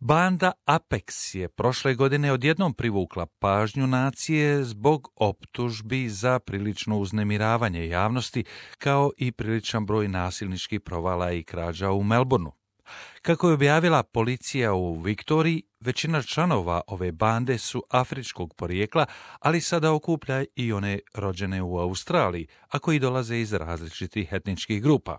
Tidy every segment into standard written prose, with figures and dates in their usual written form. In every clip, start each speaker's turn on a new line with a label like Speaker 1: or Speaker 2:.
Speaker 1: Banda Apex je prošle godine odjednom privukla pažnju nacije zbog optužbi za prilično uznemiravanje javnosti, kao i priličan broj nasilničkih provala i krađa u Melbourneu. Kako je objavila policija u Viktoriji, većina članova ove bande su afričkog porijekla, ali sada okuplja i one rođene u Australiji, a koji dolaze iz različitih etničkih grupa.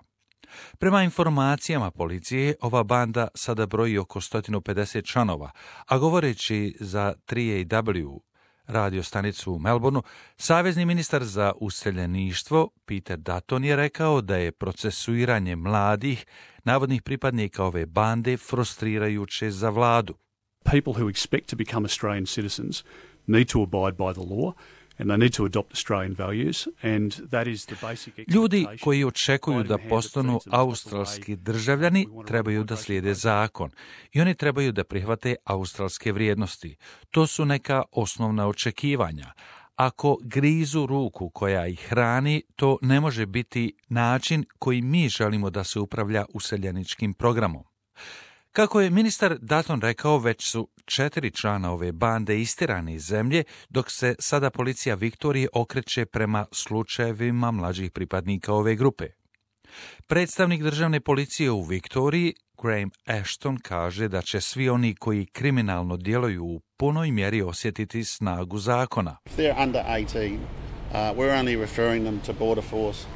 Speaker 1: Prema informacijama policije, ova banda sada broji oko 150 članova, a govoreći za 3AW radio stanicu u Melbourneu, savezni ministar za useljeništvo Peter Dutton je rekao da je procesuiranje mladih, navodnih pripadnika ove bande frustrirajuće za vladu.
Speaker 2: People who expect to become Australian citizens need to abide by the law. And they need to adopt Australian values, and that is the basic expectation.
Speaker 1: Ljudi koji očekuju da postanu australski državljani trebaju da slijede zakon i oni trebaju da prihvate australske vrijednosti. To su neka osnovna očekivanja. Ako grizu ruku koja ih hrani, to ne može biti način koji mi želimo da se upravlja useljeničkim programom. Kako je ministar Dutton rekao, već su 4 člana ove bande istirani iz zemlje, dok se sada policija Viktorije okreće prema slučajevima mlađih pripadnika ove grupe. Predstavnik državne policije u Viktoriji, Graham Ashton, kaže da će svi oni koji kriminalno djeluju u punoj mjeri osjetiti snagu zakona.
Speaker 3: If they're under 18, we're only referring them to Border Force.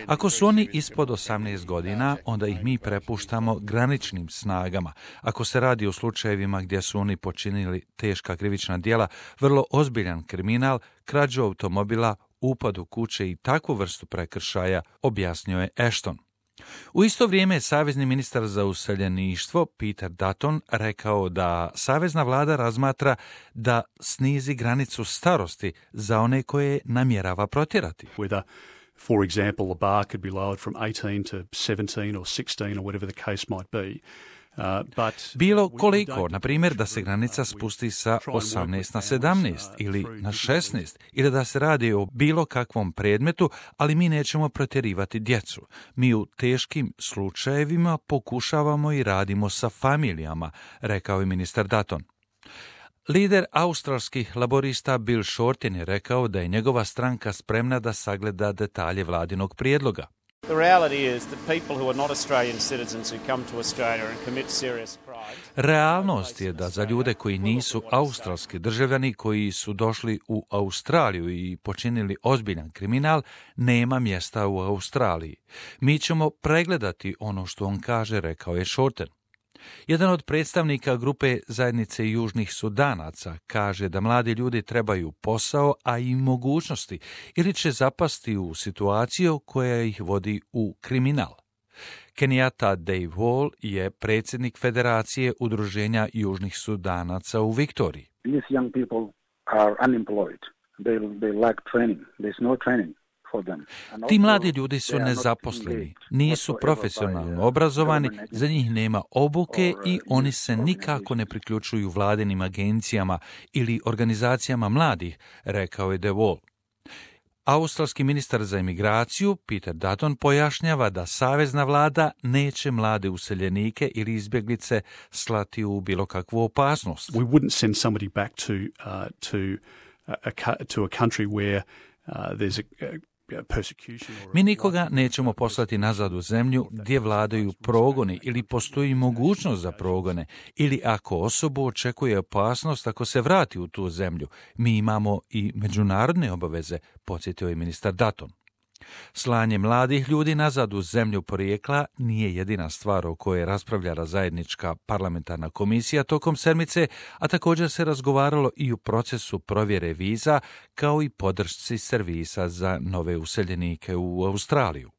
Speaker 1: Ako su oni ispod 18 godina, onda ih mi prepuštamo graničnim snagama. Ako se radi o slučajevima gdje su oni počinili teška krivična djela, vrlo ozbiljan kriminal, krađu automobila, upad u kuće i takvu vrstu prekršaja, objasnio je Ashton. U isto vrijeme je savezni ministar za useljeništvo Peter Dutton rekao da savezna vlada razmatra da snizi granicu starosti za one koje namjerava protjerati.
Speaker 2: Whether, for example, the bar could be lowered from 18 to 17 or 16 or whatever the case might be.
Speaker 1: Bilo koliko, na primjer, da se granica spusti sa 18 na 17 ili na 16, ili da se radi o bilo kakvom predmetu, ali mi nećemo protjerivati djecu. Mi u teškim slučajevima pokušavamo i radimo sa familijama, rekao je ministar Dutton. Lider australskih laborista Bill Shorten je rekao da je njegova stranka spremna da sagleda detalje vladinog prijedloga.
Speaker 4: The reality is that people who are not Australian citizens who come to Australia and commit serious crimes.
Speaker 1: Realnost je da za ljude koji nisu australski državljani koji su došli u Australiju i počinili ozbiljan kriminal, nema mjesta u Australiji. Mi ćemo pregledati ono što on kaže, rekao je Shorten. Jedan od predstavnika grupe zajednice južnih Sudanaca kaže da mladi ljudi trebaju posao, a i mogućnosti, ili će zapasti u situaciju koja ih vodi u kriminal. Kenyatta Dave Wall je predsjednik Federacije udruženja južnih Sudanaca u Viktoriji.
Speaker 5: These young people are unemployed. They lack training. There's no training.
Speaker 1: Ti mladi ljudi su nezaposleni, nisu profesionalno obrazovani, za njih nema obuke i oni se nikako ne priključuju vladinim agencijama ili organizacijama mladih, rekao je De Wall. Australski ministar za imigraciju Peter Dutton pojašnjava da savezna vlada neće mlade useljenike ili izbjeglice slati u bilo kakvu opasnost.
Speaker 2: We wouldn't send somebody back to a country where there's
Speaker 1: Mi nikoga nećemo poslati nazad u zemlju gdje vladaju progoni ili postoji mogućnost za progone, ili ako osobu očekuje opasnost ako se vrati u tu zemlju. Mi imamo i međunarodne obaveze, podsjetio je ministar Dutton. Slanje mladih ljudi nazad u zemlju porijekla nije jedina stvar o kojoj raspravljala zajednička parlamentarna komisija tokom sedmice, a također se razgovaralo i u procesu provjere viza, kao i podršci servisa za nove useljenike u Australiju.